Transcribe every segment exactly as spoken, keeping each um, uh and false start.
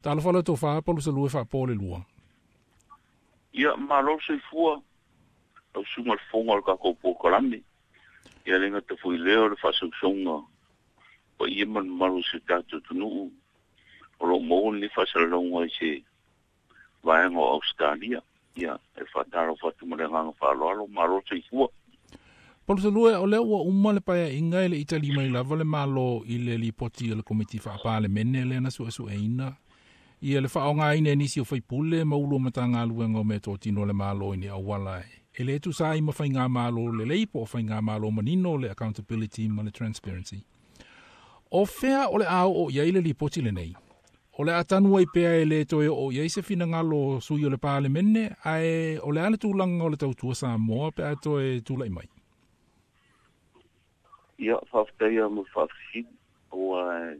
Talofa le tofa Palusalue faapo le lua. Ia malo le soifua lau susuga le fofoga o le tatou polokalame. Ia le gata foi lea o le faasausauga paia ma le mamalu o si o tatou atunuu o loo maua lenei faasalalauga i se vaega o Ausetalia. Ia e faatalofa atu ma le agaga faaaloalo, malo le soifua. Palusalue, o lea ua uma le paeaiga e le itali mai lava le Malo i le lipoti a le Komiti Faapalemene lea na suesueina ia le faaaogaina e nisi o faipule ma ulu o Matagaluega o meatotino o le Malo i ni auala e le tusa ai ma faigamalo lelei po o faigamalo manino le accountability ma le transparency. O fea o le a oo i ai le lipoti lenei? O le a tanu ai pea e le toe oo i ai se finagalo sui o le Palemene, ae o le a le tulaga o le tautua Samoa pe a toe tulai mai? Ia, faafetai lava mo le faafesili, aua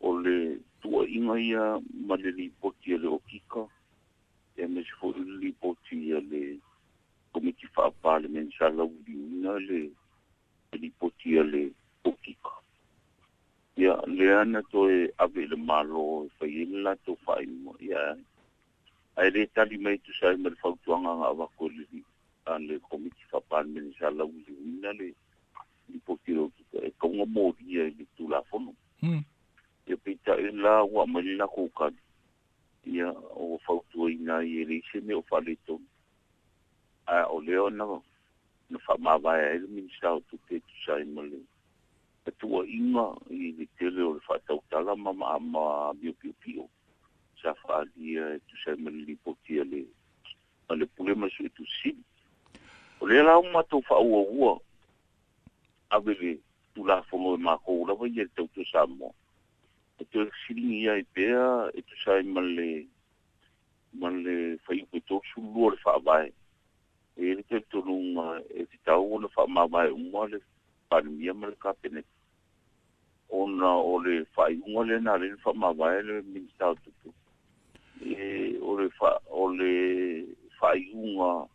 o le tuuaiga ia ma le lipoti a le Okika, aemaise foi le lipoti a le Komiti Faa-Palemene sa lauiliuina le lipoti a le Okika. Ia, lea na toe ave i le Malo e fai ai le latou faaiuga, ia, ae le tali mai tusa ai ma le fautuaga na avatu e le, le Komiti Faa-Palemene sa lauiliuina le lipoti a le Okika e tau molia i le Tulafono. Mm. Ia peitai la ua aumai le latou tali, ia o fautuaina ai e leai se mea o faaletonu. Ae o lea na, na faamavae ai le Minisita o Tupe e tusa ai ma le tuuaiga i le tele o le faatautala ma ma ma miopiopio sa faaalia e tusa ai ma le lipoti a le, a le Pule ma le Suetusi Sili. O lea la ua matou faaauaua ave le Tulafono e matou lava ia le tautua Samoa e toe fesiligia ai pea e tusa ai ma le ma le fuaiupu e tolusefulu lua o le Faavae. E i ai le talitonuga e tatau ona faamavae uma le Palemia ma le Kapeneta, ona o le faaiuga lea na ala ai ona faamavae le Minisita o Tupe. E o le fa, o le faaiuga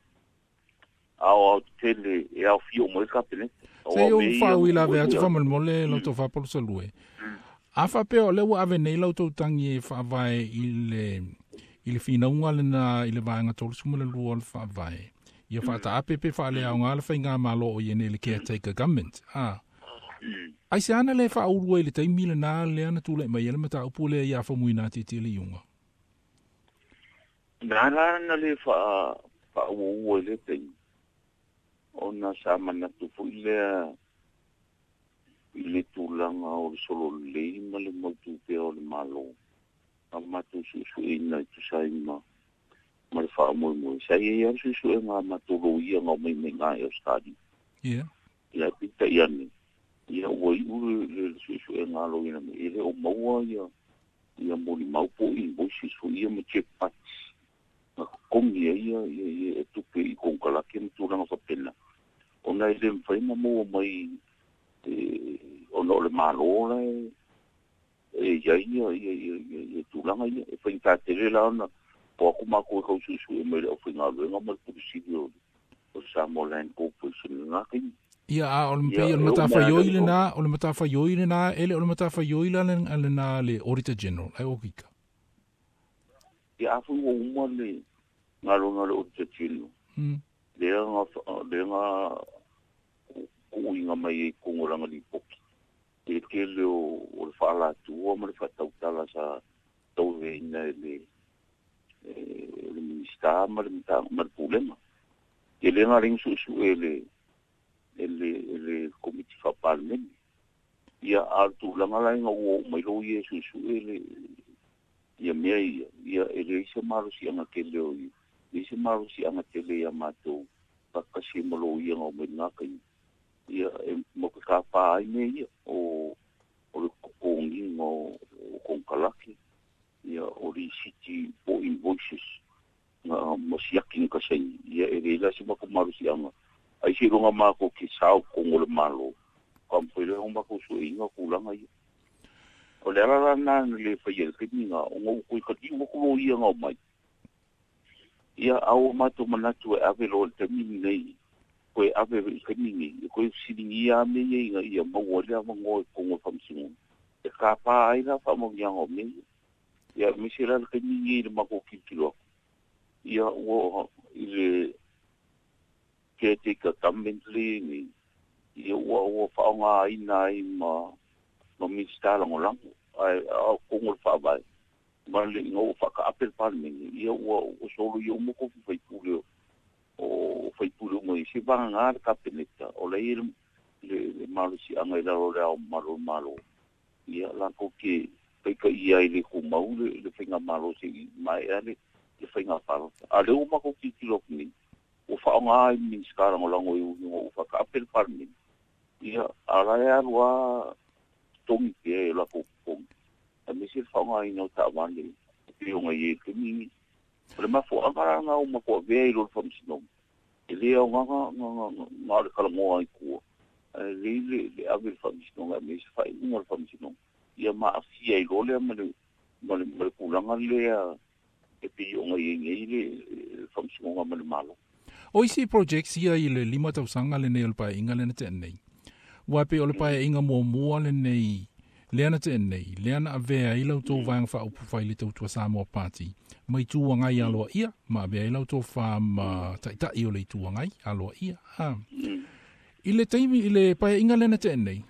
aoaotetele e aofia uma ai le Kapeneta. Se i ou faauilavea atu faamolemole lau tofa Palusalue. A faapea o lea ua ave nei lau tautagi e faavae i le i le finauga lena i le vaega tolusefulu lua o le Faavae, ia faataape pe faaleaoga le faigamalo o ia nei le caretaker government. A ai se ana le faaulu ai le taimi lena lea na tulai mai ai le mataupu lea ia Faumuina Tiatia le iuga? Na la na le faa faauaua i le taimi, ona sa manatu foi lea i le tulaga o le solo lelei ma le mautu pea o le Malo. A matou suesueina e tusa ai ma ma le faamoemoe. Sa i ai lava le suesuega a matou loia na omai mai i Ausetalia. Ia. Ia peitai ane, ia ua iu le, le suesuega a loia nei, e le o maua ia ia molimau po o invoices foi ia ma check cuts na totogi ai ia, ia, ia e tupe i konekarate ma tulaga faapena. Ona e le mafai ona maua mai e, ona o le Malo la e e i ai ia, ia, ia, ia, ia tulaga ia. E faigata tele la ona o atu matou e tau suesue mai le aufaigaluega ma le Pule Sili o o Samoa Land Corporation i lena taimi. Ia, a o le Ia pei o le e oo mai lava matafaioi le lena, o le matafaioi lena, e le o le matafaioi la lena le Auditor General, ai Okika. Ia a foi ua uma le galuega a le Auditor General. Mm. Lea na lea na tuuina mai ai i totonu o lana lipoti le tele o, o le faalatua ma le faatautala sa tauaveina e le e le Minisita ma le ma le Pulega. Ia lea na ala ai ona suesue e le e le e le Komiti Faa-Palemene. Ia a o le tulaga la ina ua oo mai loia e suesue le ia mea ia, ia e leai se malosiaga tele o ia, leai se malosiaga tele ia matou faatasi ma loia na omai i lena taimi. Ia e matou te tapa ai mea ia o o le totogiina o, o konekarate, ia o lisiti po o invoices na ma siaki na kasaini. Ia e leai la se matou malosiaga ai seiloga matou te sao i totonu o le Malo, faamafai loa ona matou sueina tulaga ia. O le ala la lena na le faia i le taimi lena, ona ua toe taliu atu loia na omai. Ia a ua matou manatu e ave loa i le taimi lenei, toe ave i le taimi lenei, e toe fesiligia lava mea ia ina ia maua ai le avanoa i totonu o le Faamasinoga e tapa ai la faamanuiaga o mea ia. Ia aemaise la le taimi nei i le matou tilotilo atu ia ua i le caretaker government lea nei ia ua ua faaaogaina ai ma ma Minisita lagolago ae a o totonu o le faavae ma le ina ua faataape le Palemene ia ua ua soloia uma tofi faipule o faipule uma i se vagagā le Kapeneta o la e i ai le le malosiaga i lalo o le ao mamalu o le Malo ia latou te taitaia ai le tumau le le faigamalo se'i maea le le faiga palota. A o lea ua matou tilotilo atu nei ua faaaoga ai Minisita lagolago i ui ina ua faataape le Palemene ia a o la e alu lava totogi pea e latou totogi aemaise le faaaogaina o taavale e pei ona i ai i le taimi lenei. O le mafuaaga la lena ua matou avea i lo le Faamasinoga e lē aoga na o le talanoa ai tua ae lelei le le ave i le Faamasinoga aemaise faaiuga o le Faamasinoga ia ma aafia ai loa lea ma le ma le ma le tulaga lea e pei ona i ai nei le Faamasinoga ma le Malo. O isi projects ia i le lima tausaga lenei o le paeaiga lea na tea nei. Aua e pei o le paeaiga muamua lenei lea na tea nei, lea na avea ai la outou vaega faaupufai i le Tautua Samoa Party ma Itu Agai aloaia, ma avea ai la outou fa ma taitai o le Itu Agai aloaia. A. I le taimi i le paeaiga lea na tea nei,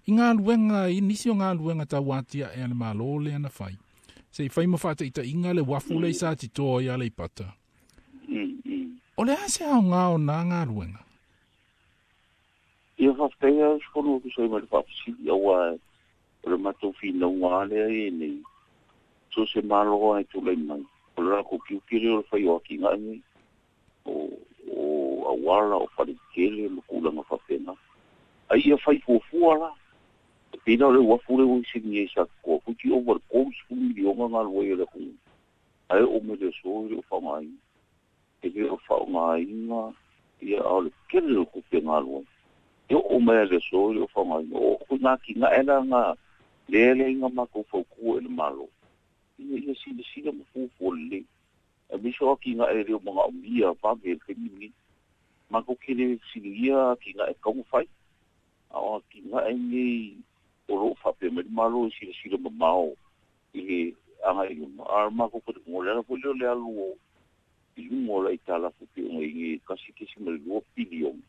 i galuega, i nisi o galuega tauatiae a le Malo lea na fai, se i fai ma faataitaiga le uafu lea i Satitoa i Aleipata. O le a se aoga o nā galuega? Ia faafetai lava usufono tusa ai ma le faafesili auā o le matou finauga lava lea e i ai nei, so o se Malo lava e tulai mai, o le latou tiute lea o le fai o atinae nei, o o auala, o faletetele ma tulaga faapena. Ai ia fai fuafua la, e pei la o le uafu lea ua fesiligia i Satitoa, toeitiiti ova i le tolu miliona galue ai o le atunuu, ae oo mai le aso e le o faaaogaina. E le o faaaogaina ia a o le tele o tupe galue. E oo mai lava i le aso e le o faaaogaina. O ituaiga atinae la na lea e leai na matou fautua i le Malo ina ia silasila ma fuafua lelei. Aemaise o atinae e le o manaomia vave i le taimi lenei. Matou te le fesiligia atinae e tatau ona fai, a o atinae nei o lo o faapea mai le Malo e silasila mamao i le agai i luma. A o le matou talitonuga, o le ala foi lea o le alu o i luga o le aitalafu e pei ona i ai nei e tasi kesima le lua piliona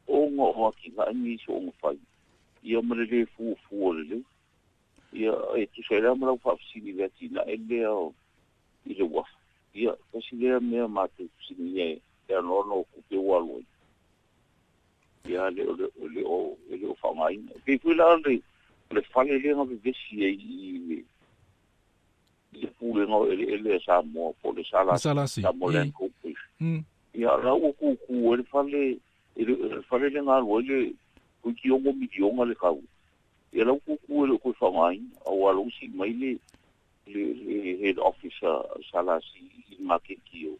ona o atinae nei soona fai ia ma le lē fuafua lelei. Ia e tusa ai la ma lau faafesili i le atinae lea i le uafu. Ia tasi lea mea matou fesiligia e anoano o tupe ua alu ai ia le o le o le o e le o faaaogaina. E pei foi la le le fale lea na vevesi ai i le i le Pulega o Eleele a Samoa po o le S L C, S L C, Samoa Land i. Corporation. Mm. Ia la ua kūkū ai le fale e le le fale lea na alu ai le toeitiiti ono miliona le tau. Ia la ua kūkū e le o toe faaaogaina auā la ua sii mai le le le head office a S L C i le maketi o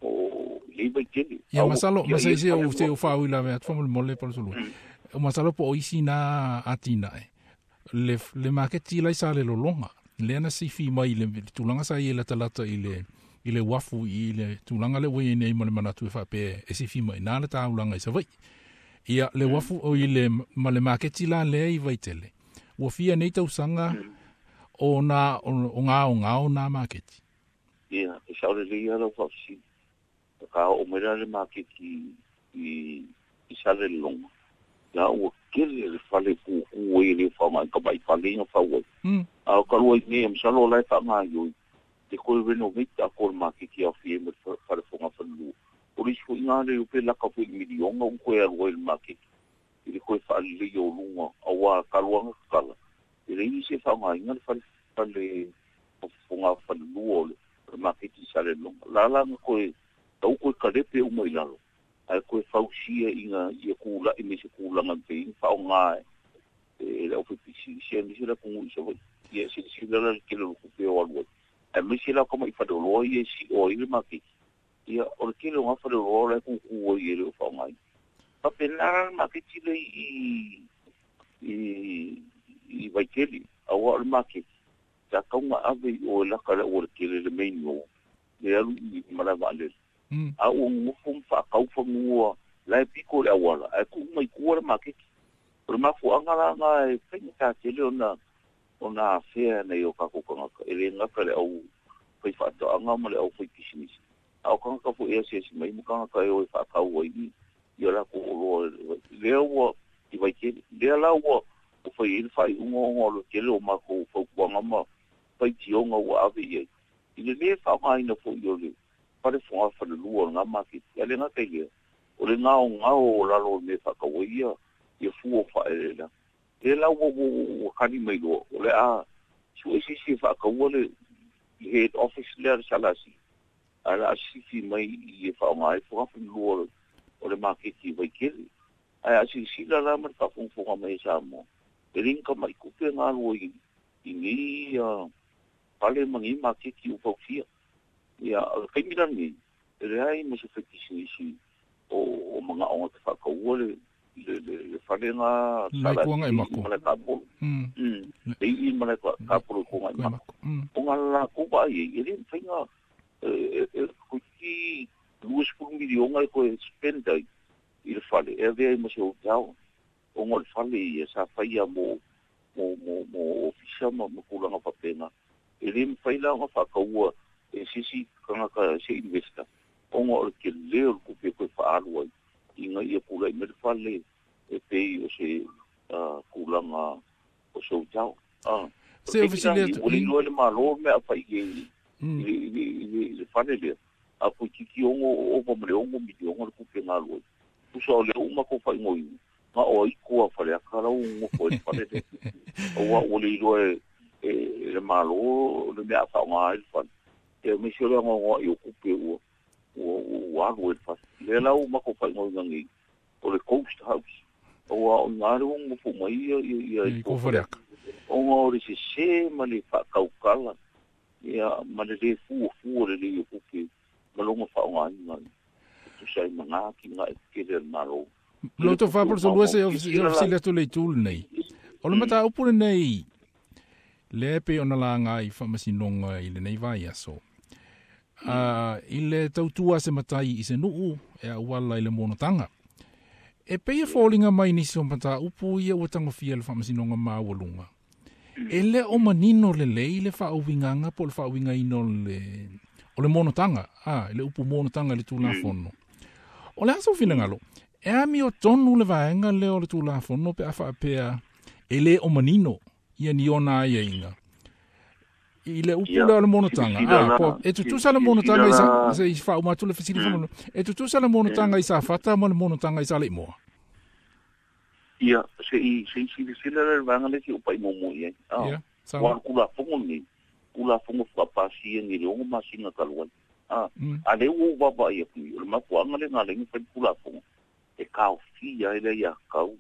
o lei Vaitele. Ia A ua masalo, ia ma ia se le se fale o se ua o faauilavea atu faamolemole Palusulua. O masalo po o isi nā atinae. Le le maketi la i Salelologa, lea na sifi mai i le le tulaga sa i e latalata i le i le uafu i le tulaga lea ua i ai nei ma le manatu e faapea e sifi mai i ina le taulaga i Savaii. Ia le uafu o i le ma le maketi la lea i Vaitele, ua fia nei tausaga o nā o gaogao nā maketi. Ia, e sao lelei lava lau faafesili. Ka oo mai la le maketi i i Salelologa, la ua tele le fale kūkū ai e le o faaaogaina tamai fale ia na fau ai. Mm. A o talu ai nei masalo o la e faagaioi e toe renovate atoa le maketi e aofia ai ma le fale fogafalelua. O le isi foi lena le pe laka foi i le miliona ua toe alu ai i le maketi i le toe faaleleia o luga auā talu lava ona tatala e leai nisi e faaaogaina le fale fale fogafalelua o le maketi i Salelologa. La la na toe tau toe kalepe uma i lalo ae toe fausia ina ia tula'i mai se tulaga e mafai ai ona faaaoga e le aufaipisinisi aemaise le atunuu i Savaii. Ia e silasila la i le tele o le tupe o alu ai aemaise la o tama'i faleoloa ia e si'o ai le maketi. Ia o le tele o na faleoloa o la e kūkū ai e le o faaaogaina. Faapena la le maketi lea i i i Vaitele auā o le maketi sa tatau ona ave i o e laka i le aualatele le main road le alu i malae vaalele. Mm. A ua nonofo ma faatau fanua la e pito i le auala ae tuu mai tua le maketi. O le mafuaaga la lena e faigata tele ona Ona afea nei o kākou kangaka e le gata le au fai faatoaga ma le au fai pisinisi a o kangaka foʻi e asiasi mai ma kangaka e o e faakau ai ia lakou oloa lea ua i Vaitele lea la ua o fai ai le faaiuga ona o le tele o makou fautuaga ma faitioga ua ave i ai i le lē faaaogaina foʻi o le fale foga falelua o lagā maketi a le gata i lea o le gaogao o lalo o le mea faatau ai ia ia fua o faaeleeleaga lea la ua ua kali mai loa o le a suʻe sisi e faataua le head office lea le salasi ae la a sifi mai i e faaaoga ai foga falelua o le maketi i Vaitele ae a silasila la ma le faafogafoga mai e Samoa e le gata kupe galua i i nei fale ma nei maketi ua fausia ia o le taimi lenei e leai ma se faipisinisi o o magaʻoga te faataua le le le le falega Laikuanga i mako. Ma le kapolo Mm. mm le i ma le kapolo ko ngai mako o nga la ko ba i e le fainga e e ko ki lua sefulu miliona e koe spend ai i le fale e avea i ma se hotel o ngo le fale ia sa faia mo mo mo mo ofisa ma ma tulaga faapena e le mafai la ona faataua e sisi kangaka se investor ona o le tele o le kupe koe faaalu ai ina ia pulaʻi mai le fale e pei o se tulaga o se hotel a Se ofisile atu. Ua le iloa le Malo mea a fai i i Mm. i i le fale lea a koititi ono ova ma le ono miliona le kupe galu ai tusa o lea uma kou faaigoina ga o ai koa Faleata lau gofo ai le fale lea auā ua le iloa e e le Malo le mea a faaaoga ai le fale e maise o le agaogoaʻi o kupe ua ua ua alu ai le fale lea la ua makou faaigoina nei o le Coast House auā o iga le ua gofo mai ia ia ia I ko Faleata. Ona o le sesē ma le faakaukala ia ma le lē fuafua lelei o kupe ma loga faaaogaina e tusa ai ma gā atinae tetele a le Malo. Lo to fa por so se ofisile atu le itu lenei. O le mataupu lenei le pe ona laga i faamasinoga i lenei vaiaso. Uh, i le tautua se matai i se nuu e auala i le monotaga. E pei e foliga mai nisi o mataupu ia ua tagofia le faamasinoga maualuga. E le o manino lelei le faauigaga po o le faauigaina o le o le monotaga, a le upu monotaga i le Tulafono. O le aso finagalo, e ami o tonu le vaega lea o le Tulafono pe a faapea e le o manino ia ni ona aiaiga. I le upu Ia, lea o le monotaga, silasila a, la po, e tutusa le silasila monotaga i sa, la se i faauma atu le fesili mm. E tutusa le monotaga i Safata ma le monotaga i Saleimoa. Ia se i se i silasila la le vaega lea se upa i muamua i ai a Ia, ua sawa. le Tulafono lenei Tulafono faapasi ni le ono masina talu ai a Mm. a lea ua ou vaavaai atu i o le mafuaaga lena lea na fai le Tulafono e taofia ai le ia kau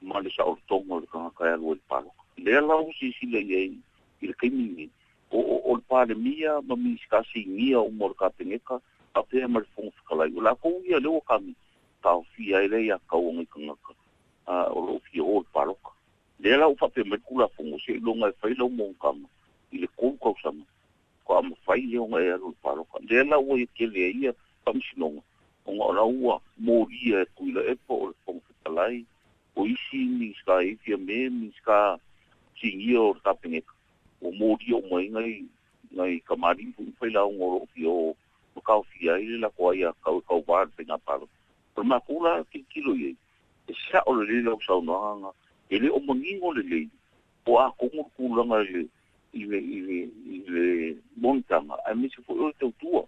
ma le saolotoga o le tagata e alu ai le palota lea la ua silasila i ai i le taimi lenei o o o le Palemia ma Minisita sinia uma o le Kapeneta faapea ma le Fofoga Fetalai o lakou ia lea ua kami taofia ai le ia kau o ngai tagata a o loo fia o le palota lea la ua faapea mai le Tulafono seiloga e fai lau monotaga i le tolu tausaga faatoa mafai lea ona e alu i le palota lea la ua tele ai ia faamasinoga ona o la ua molia e Tuilaepa o le Fofoga Fetalai o isi Minisita e fia me Minisita sinia o le Kapeneta ua molia uma ai ngai ngai kamaliʻi foʻi ma failauga o loo fia o ma taofia ai le latou ai atau e tauvā le faiga palota o le makou la tilotilo i ai e saʻo lelei lau saunoaga e le o manino lelei po a kogo le tulaga i le i le i le i le monotaga aemaise foʻi o le tautua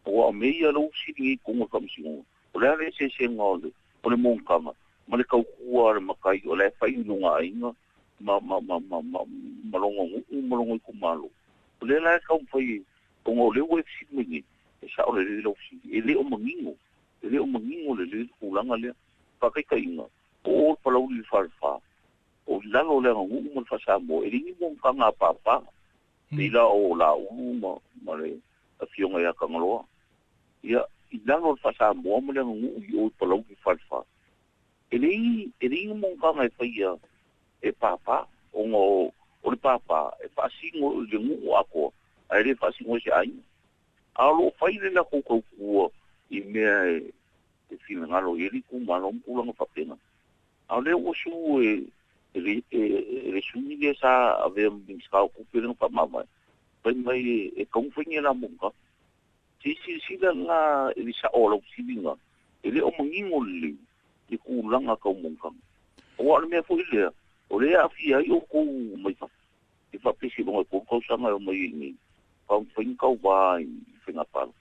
ua o mea ia lou fesili ai toga o le faamasinoga o le a le eseesega o le o le monotaga ma le tautua a le matai o le fai i luga aiga ma ma ma ma ma ma loga nuu ma loga itumalo o lea la e taumafai ona o lea ua e fesili mai nei e saʻo lelei lau fesili e le o manino e le o manino lelei le tulaga lea faataitaiga o o le Palauli le Falefa o i lalo o le aganuu ma le Faasamoa e le ni monotaga a pāpā Mm. pei la o Laulu ma ma le afioga ia Tagaloa ia i lalo o le Faasamoa ma le aganuu i o i Palauli le Falefa e le e le ni monotaga e faia e pāpā ona o o le pāpā e faasino i le nuu atoa ae le faasino i se aiga a o loo fai le latou tautua i mea e e finagalo i ai le itumalo ma tulaga faapena a o lea ua su e E le e le sui le sa avea minista o kupe le whamawai. Pai mai e kaungwhaingi la munga. Si si si la nga e le sa o lau silinga. E le o mangingo le le kūlanga kau mungkanga. O a le mea foi lea, o lea awhia i o kou mai wha. E whapesi longa kou kausanga o mai ni. Kaungwhaingi kau wā i whenga palo.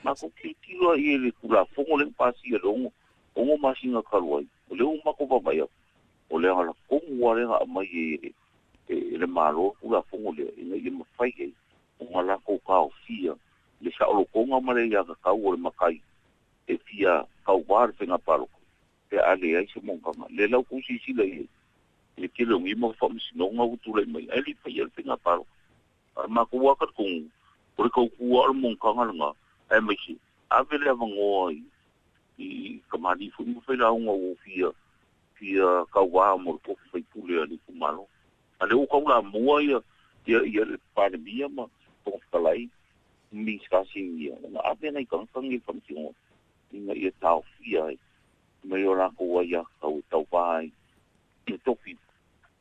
Ma ko ki tiro i le kula fongo le pasi e longo ongo masinga kaluai. O le o mako vavai aku. O le ala kongu wa lenga mai e e le malo kula fongo le ina ia mawhai e o ngā lako kao fia le sa olo konga mare ia ka kau o le makai e fia kau wā le whenga paloko pe ale ai se mongkanga le lau kusi sila i le kele o ngima whamsinonga utulai mai ai li whai le whenga paloko a mako waka kongu o le kau kua o le mongkanga langa ai mai se ave le awangoa i i kamani fu mo whai launga o fia fia kauā mo le tofi faipule a le itumalo. A le o kaula mua ia ia ia le Palemia ma Fofoga Fetalai Minista ia ona ave nai kankangi whamsingo ina ia taofia ai mai o lākou ai ia kau e tauvā ai i tofi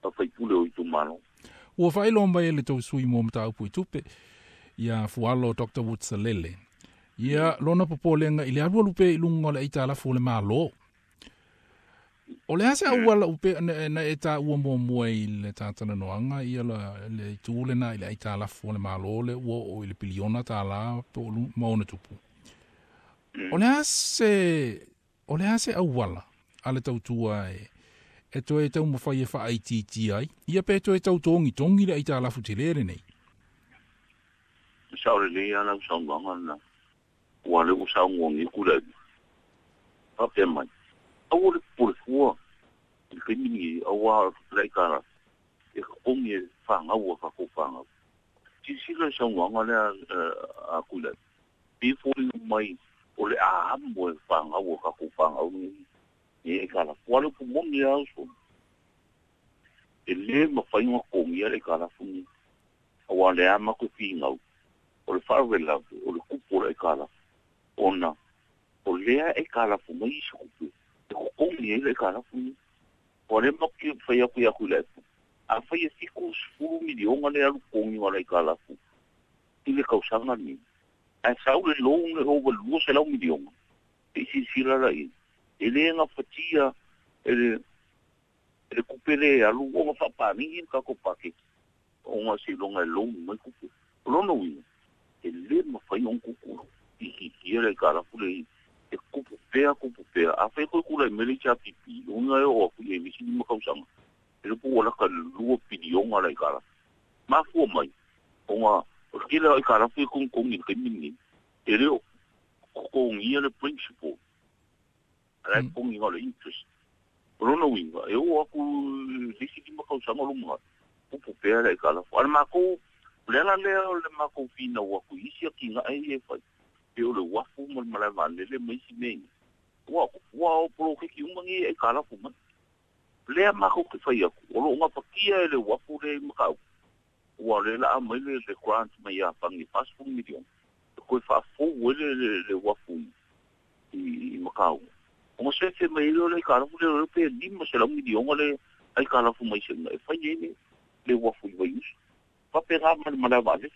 a faipule o itumalo. Ua whailo mai le tau sui mo mataupu i tupe ia Fualo Doctor Woods-Salele. Ia lona popolenga i le alu alu pe i lunga o le aitalafu o le malo. O le ase au ala upe na, na e tā ua mua mua i le tātana noanga ia la, le tūle na i le aitalafu o le malo le ua o i le piliona tā la po lu maona tupu. O le ase, o le ase au ala a le tautua e, e toe tau mawhai e wha aititi ai, ia pe toe tau tongi tongi le aitalafu te lere nei. Sa ore le ala usaunganga na, ua le usaungongi kula. Pape mai. Au le pole fua i le kaimini au a le kara e kongi e whangau a kako whangau. Sisila saunga lea a kula. Pi fōri mai o le ahamu e whangau a kako whangau ni e kara. Kua le pumoni au so. E le mawhainga kongi a le kara funi. Au a le ama koe whingau. O le wharawela o le kupo le kara. Ona o lea e kara fu mai i se kupe. E kokongi e le karafu. O le maki whai aku i aku le. A whai e fiku sfuru milionga le alu kongi wala i karafu. I le kausanga ni. A sau le loung le over lua se lau milionga. E sisila la i. E le nga fatia e le e le kupele alu onga whapani i kako paketi. Onga se longa e loung mai kupe. O lona uina. E le mawhai on kuku. I hikia le karafu le i. E kupu pea, kupu pea. A whai koe kula i mele cha pipi. Unga e o aku i e misi ni makausanga. E lupu wala ka lua pilionga la i karafu. Mafua mai. Onga, o le kila i karafu e kong kongi kai mingi. E leo kongi ia le principal. Ala e kongi ngā le interest. O lona uinga, e o aku lisi ni makausanga lunga. Kupu pea la i karafu. Ala mākou, le ala lea o le mākou whina o aku isi a ki ngā e e whai. E o le wafu mo le malae vaalele ma isi mea ia. Ua, ua o polokeki umangi e karafu mai. Lea mākou ke whai aku. O lo ngā pakia e le wafu le makau. Ua le la mai le le grant mai a pangi whasfu milion. E koe whaafou e le, le, le wafu i, i makau. O ngā sefe mai le le karafu le le pe lima se lau milionga le ai karafu mai se nga. E whai e le, le wafu i waiusu. Whape ngā ma le malae vaalele.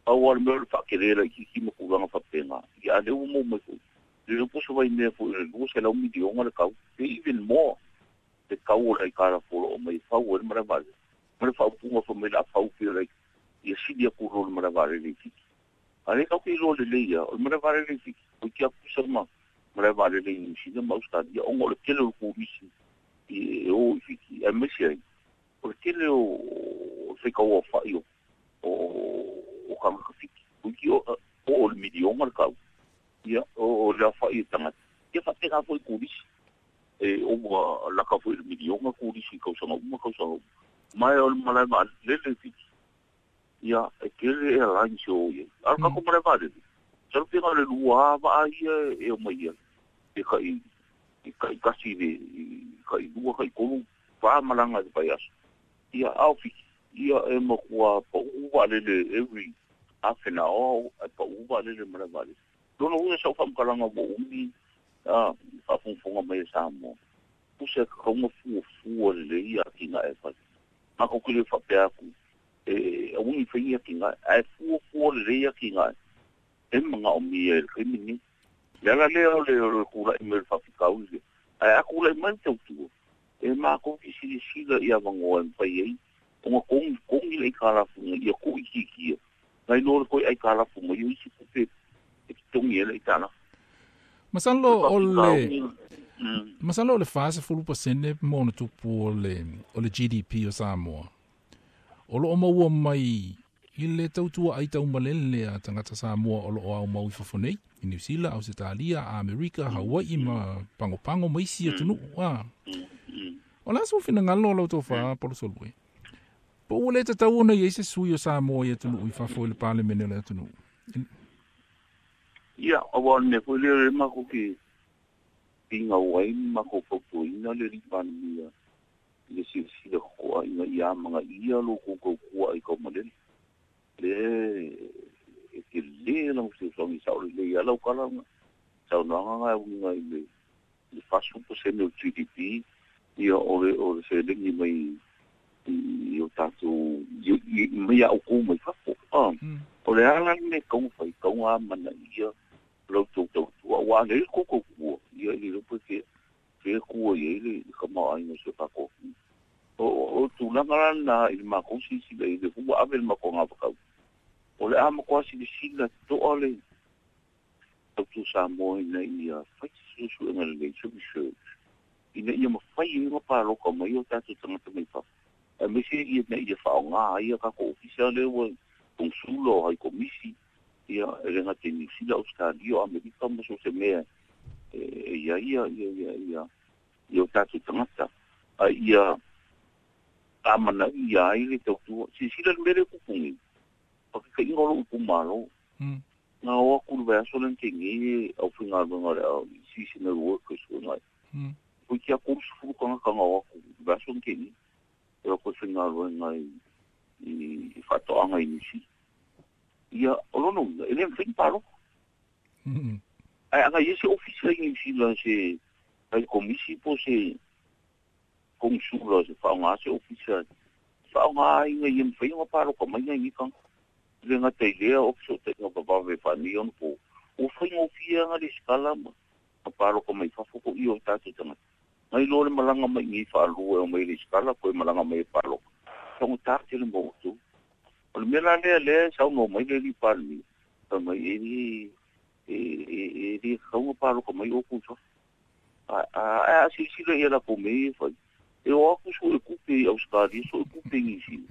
Au a le mea o le whakerera i kiki makuranga whapenga. Ia le ua mou mai foi. Le le poso vai mea foi le lua se lau milionga le kau. E even more. Te kau o le aikara folo o mai whau e le malae vaalele. Ma le whaupunga wha mai la whau pia lai. Ia sili aku ro le malae vaalele i fiki. A le kau ke ilo le leia o le malae vaalele i fiki. O ki aku sama malae vaalele i New Zealand ma Australia. Onga o le kele o le kurisi i e o i fiki. A mesi ai. O le kele o o whaikau o whai o o kanga fiki. O ki o o le milionga le kau. Ia o le whai e tangata. Ia whapenga foi kurisi. E o ua laka foi le milionga kurisi kausanga uma kausanga uma. Mai o le malae vaalele fiki. Ia e kele e airlines o ia. Ara kako malae vaalele. Salu pinga le lua waa ia e o mai ia. E kai i kai kasi le i kai lua kai kolu wha malanga te pai aso. Ia au fiki. Ia e makua pa uwa lele every half an hour e pa uwa lele malae vaalele. Lona uia sau whamkalanga mo umi a whafunfunga mai e Samoa. Pusa e kakaunga fuafua lelei atinae e fai. Makou ke le faapea aku e aua nei faia atinae, ae fuafua lelei atinae e magaomia i le taimi lenei. Le ala lea o le o le tula'i mai o le faafitauli lea, ae a tula'i mai le tautua, e makou te silasila i avanoa e mafai ai ona togi togi le aitalafu ina ia tuuitiitia nai lo le toe aitalafu mai o isi tupe e totogi ai le aitalafu. Masalo o le masalo o le fasefulu pasene ma ona tupu o le o le G D P o Samoa. O loo maua mai i le tautua ai taumalele a tagata Samoa o loo aumau i fafo nei, i Niu Sila, Ausetalia, Amerika, Hawaii ma Pagopago ma isi atunuu. A. O le a sou finagalo o lau tofa Palusalue? Po ua le tatau ona i ai se sui o Samoa i atunuu i fafo i le Palemene o le atunuu? Ia, auā o le mea foi lea o lea matou te finau ai ma matou fautuaina le alii Palemia i le silasila totoa ina ia amagaia lo outou tautua i taumalele. Lea e tele lana fesoasoani sao lelei lava lau tala ma saunoaga na e uiga i le le fasefulu pasene o le G D P ia o le o le seleni mai i o tatou mai ia outou mai fafo. Ah, o le ala le tau fai tau amanaia lau tou tautua aua a lelei le tou tautua ia e le iloa pe fea fea tua i ai le tamaoaiga o si o tatou atunuu. O o tulaga la lena i le matou silasila i le ua ave le matou agavakau. O le a matua silasila totoa le tautua Samoa ina ia fai se suesuega lelei, se research, ina ia mafai ai ona palota mai o tatou tagata mai fafo. Aemaise ina ia faaaoga ai a tatou ofisa lea ua konesula o hai komisi, ia e le gata i Niu Sila, Ausetalia, o Amerika ma so o se mea e i ai ia ia ia ia ia o tatou tagata. A ia amanaia ai le tautua. Silasila le mea lea e tupu nei, faataitaiga o lou itumalo. Na o atu i le vaiaso lea na tea nei e aufaigaluega o le seasonal workers foi nai. Toeitiiti lava tolusefulu tagata na o atu i le vaiaso na tea nei e o atu e faigaluega i i faatoaga i Niu Sila. Ia, o lona uiga, e le mafai ona palota. Ae ana i ai se ofisa i Niu Sila se hai komisi po o se konesula se faaaoga se ofisa faaaoga ai ina ia mafai ona palota mai nai nei tagata. E le gata i lea o fesootaiga vavave faanei ona po ua faigofie lava lesitala ma palota mai fafo foʻi o tatou tagata. Nai lo le malaga mai i nei faalua e omai i lesitala toe malaga mai e palota. Taugata tele mo outou. O le mea la lea lea e saunoa mai le alii Palemia, fai mai e le e e le tatau ona palota mai outou i fafo. A a a silasila ia latou mea ia e fai. E o atu sue tupe i Ausetalia, sue tupe i Niu Sila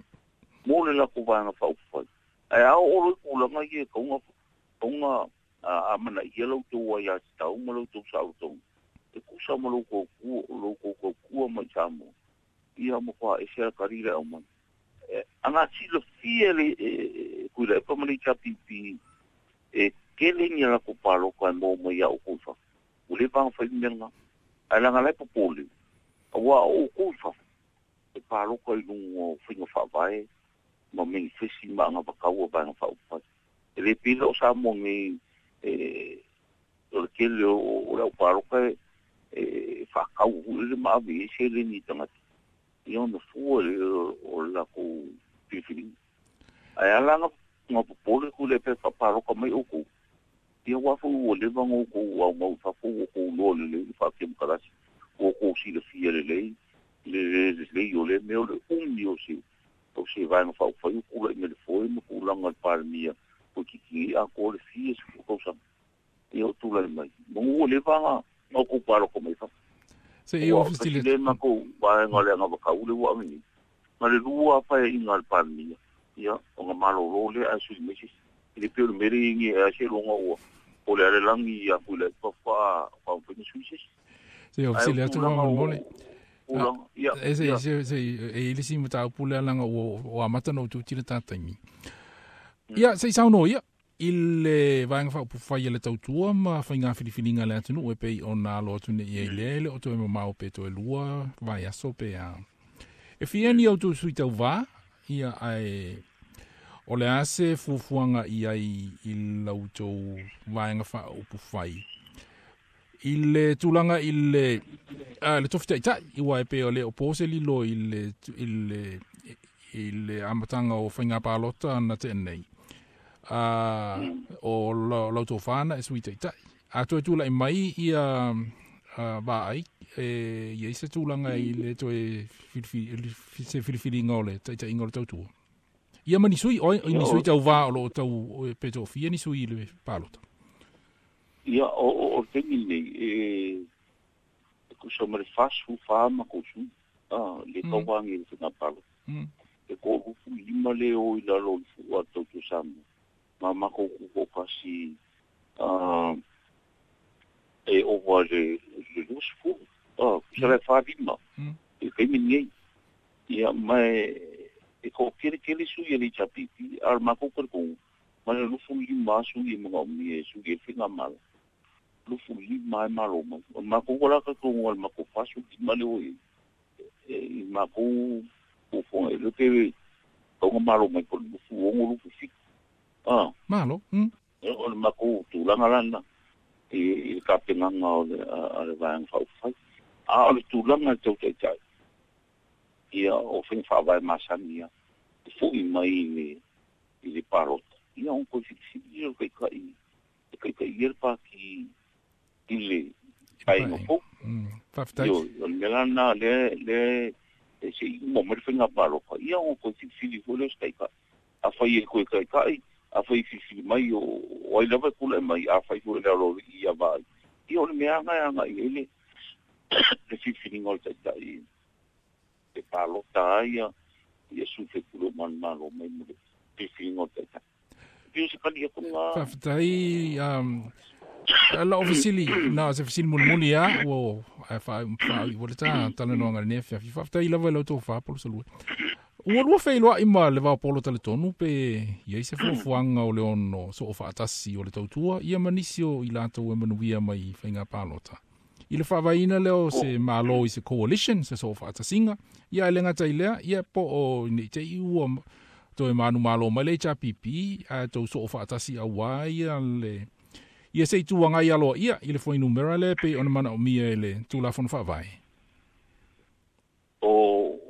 mo le latou vaega faaupufai. Ae a oo loa i tulaga ia e tatau ona amanaia la outou aiatatau ma la outou saolotoga e tusa ma lo outou tautua mai i Samoa, ia matua ese lava tali le aumai. Ana silafia le Tuilaepa ma le H R P P e tele ni a latou palota e maua mai ia outou i fafo. Ua leva ona fai le mea lena. Ae leaga la e popole, auā o outou i fafo e palota i luga o faiga faavae ma manifesti ma agavakau a vaega faaupufai. E le pei la o Samoa nei e o le tele o le aupaloka e faatau foi lele ma ave i ai seleni i tagata ia ona fua lea o le latou filifiliga. Ae ala ona popole Tuilaepa e faapaloka mai outou, ia aua foi ua leva ona outou aumau i fafo, ua outou iloa lelei le faatemokarasi, ua outou silafia lelei le lelei o lea mea o le umi o se o se vaega faaupufai o tulai mai le foe ma tulaga o le Palemia toeitiiti nei atoa le fia sefulu tausaga ia o tulai mai. Manu ua leva ona outou palota mai fafo. Se i Aua o ofisi tasi le lea matou vaega o le agavakau lea ua ave nei. Ma le lua paeaiga a le Palemia, ia ona malolo lea ae sui mai se isi. E le pei o le mea lea e i ai nei e a seiloga ua o le alelagi ia Tuilaepa faatoa mafai ona sui se isi. Se i Ae ofisi o le atu tulaga faamolemole. o tulaga, ia, E se ia. se se e i le isi mataupu lea leaga ua ua amata ona ou tuti le ta taimi. Ia se i saunoa ia i le vaega faaupufai a le tautua ma faiga filifiliga a le atunuu e pei ona alo atu nei ai lea e le o toe mamao pe toe lua vaiaso pe a. E fia ni outou sui tauvā ia ae o le a se fuafuaga i ai i la outou vaega faaupufai I le tulaga i le a le tofi ta'ita'i ua e pei o le o po se lilo i le i le i le amataga o faiga palota na te'a nei a o lau tofana e sui ta'ita'i a toe tula'i mai ia vaai e ia i se tulaga i le toe se filifiliga o le ta'ita'iga o le tautua ia ma ni sui oi ni sui tauvā o loo tau pe to'afia ni sui i le palota. Ia o o o taimi nei e e kusa ma le fasu fa ma ko su a le tauvangi i le faiga palota e ko'olufu lima le o i lalo o le fu'u a le tautua Samoa ma makou kuko'okasi a e ova le le luasefulu a kusa le falima i taimi nei ia ma e to'akeletele sui e le H P P a le makou kalikoga ma le lufu lima sui e magaomia e sui e faiga malo lufu lima e malo mai o le makou la kalikoga le makou fasu lima le o i makou fuafuaga e le pe tauga malo mai po le lufu ogo lufu fitu a malo mm o le makou tulaga lana i i le kapegaga o le a le vaega faaupufai a o le tulaga e tau ta'ita'i ia o faiga faavae masani ia e fo'i mai i le i le palota ia ona toe filifili o le ta'ita'i e ta'ita'i ia le pati i le paeaiga fou. Faafetai. Ioe o le mea lana lea lea e se'i uma mai le faiga palota ia ona toe filifili foi lea o se ta'ita'i afai e toe ta'ita'i afai filifili mai o o ai lava e pule mai afai foi le aloali'i ia vaai ia o le mea aga e aga'i ai le le filifiliga o le ta'ita'i e palota ai ia ia sui faipule o manumalo mai mo le filifiliga o le ta'ita'i pei o se kali atuga. Faafetai um la ofisili na se fesili mulimuli a ua faa'i ua le ta talanoaga lenei afiafi faafetai lava i lau tofā Palusalua ua lua feiloa'i ma le vaopolo taletonu pe iai se fuafuaga o le ono soo faatasi o le tautua ia ma nisi o i latou e manuia mai faiga palota i le faavaeina lea o se malo i se coalition se soo faatasiga ia e le gata i lea ia po o nei te'i ua toe manumalo mai le H R P P ae tou soo faatasi auā ia le ia se ituaga i aloa ia i le fuainumera lea pei ona manaomia e le Tulafono Faavae. O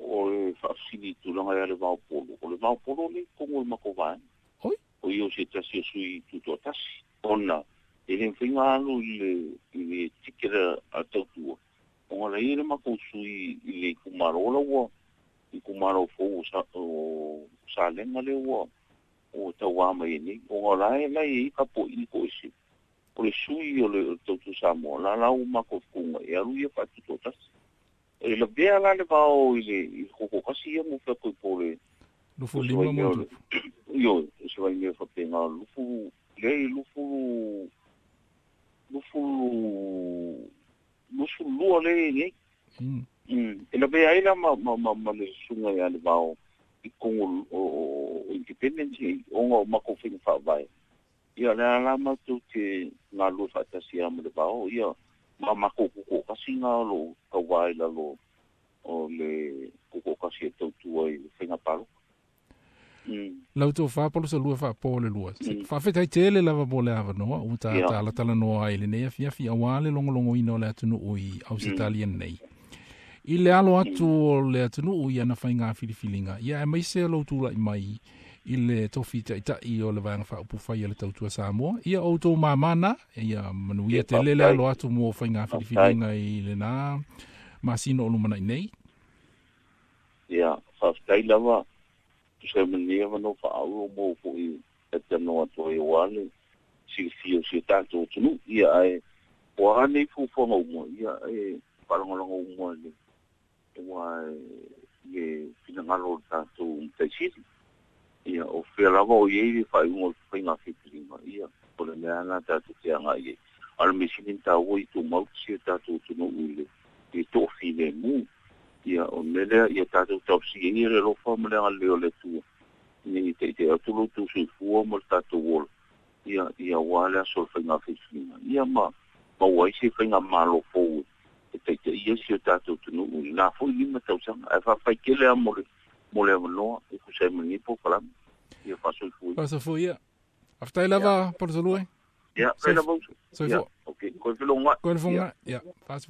o le faafesili i tulaga ia le vaopolo o le vaopolo le tonu o le matou vaega oi o ia o se tasi o sui tutoatasi ona e le mafaiga alu i le i le tiketa a tautua ona la ia le matou sui i le itumalo la ua itumalo fou o sa o Salega lea ua ua tauā mai ai nei ona la e la e i ka po'i ko ese o le sui o le tautua Samoa la la ua matou fukuga e alu ia faatutoatasi e lavea la le vao i le i le kokokasi ia mo fea po le lufu lima mo io se vai mea faapena lufu le lufu lufu lufu lua le nei mm e lavea ai la ma ma ma le susuga ia le vao i kogo o independence ona o makou faiga faavae ia le ala matou te galulue faatasi a ma le vao ia ma makou kukokasi ga o loo tauā i lalo o le kukokasi e tautua i le faiga palota. Lau tofā Palusalua faapō le lua faafetai tele lava mo le avanoa ua tātalatala ai lenei afiafi auā le logologoina o le atunuu i Ausetalia nei i le alo atu o le atunuu i ana faiga filifiliga ia aemaise lou tula'i mai i le tofi ta'ita'i o le vaega faaupufai a le tautua Samoa ia outou mamana ia manuia tele le alo atu mo faiga filifiliga i lenā masina o lumana'i nei. Ia faafetai lava tusa mania ma no faauo mo fo'i e tanoa atu ai auā le silafia o si o tatou atunuu ia ae ua a nei fuafuaga uma ia e faalagolago uma le uā le finagalo o le tatou mataisili ia o fea lava o iai le faaiuga o le faiga filifiliga ia o le mea lana tatou te aga'i ai a le mea sili ona taua i tumau si o tatou atunuu i le i le to'afilemu ia o le mea lea ia tatou tausia ia le alofa ma le agalelei o le Atua ina ia ta'ita'i atu lo outou soifua ma le tatou ola ia ia auā le aso o le faiga filifiliga ia ma maua ai se faiga malo fou e ta'ita'i ai si o tatou atunuu i lena fo'i lima tausaga ae faafetai tele a mo le mo le avanoa e tusa ai ma lenei polokalame ia faasoifua faasoifua ia faafetai lava Palusalua. Ia, Soif- lava uso. Soifua. Ia, okay. Koe felogai. Koe le foga. Ia, faasi.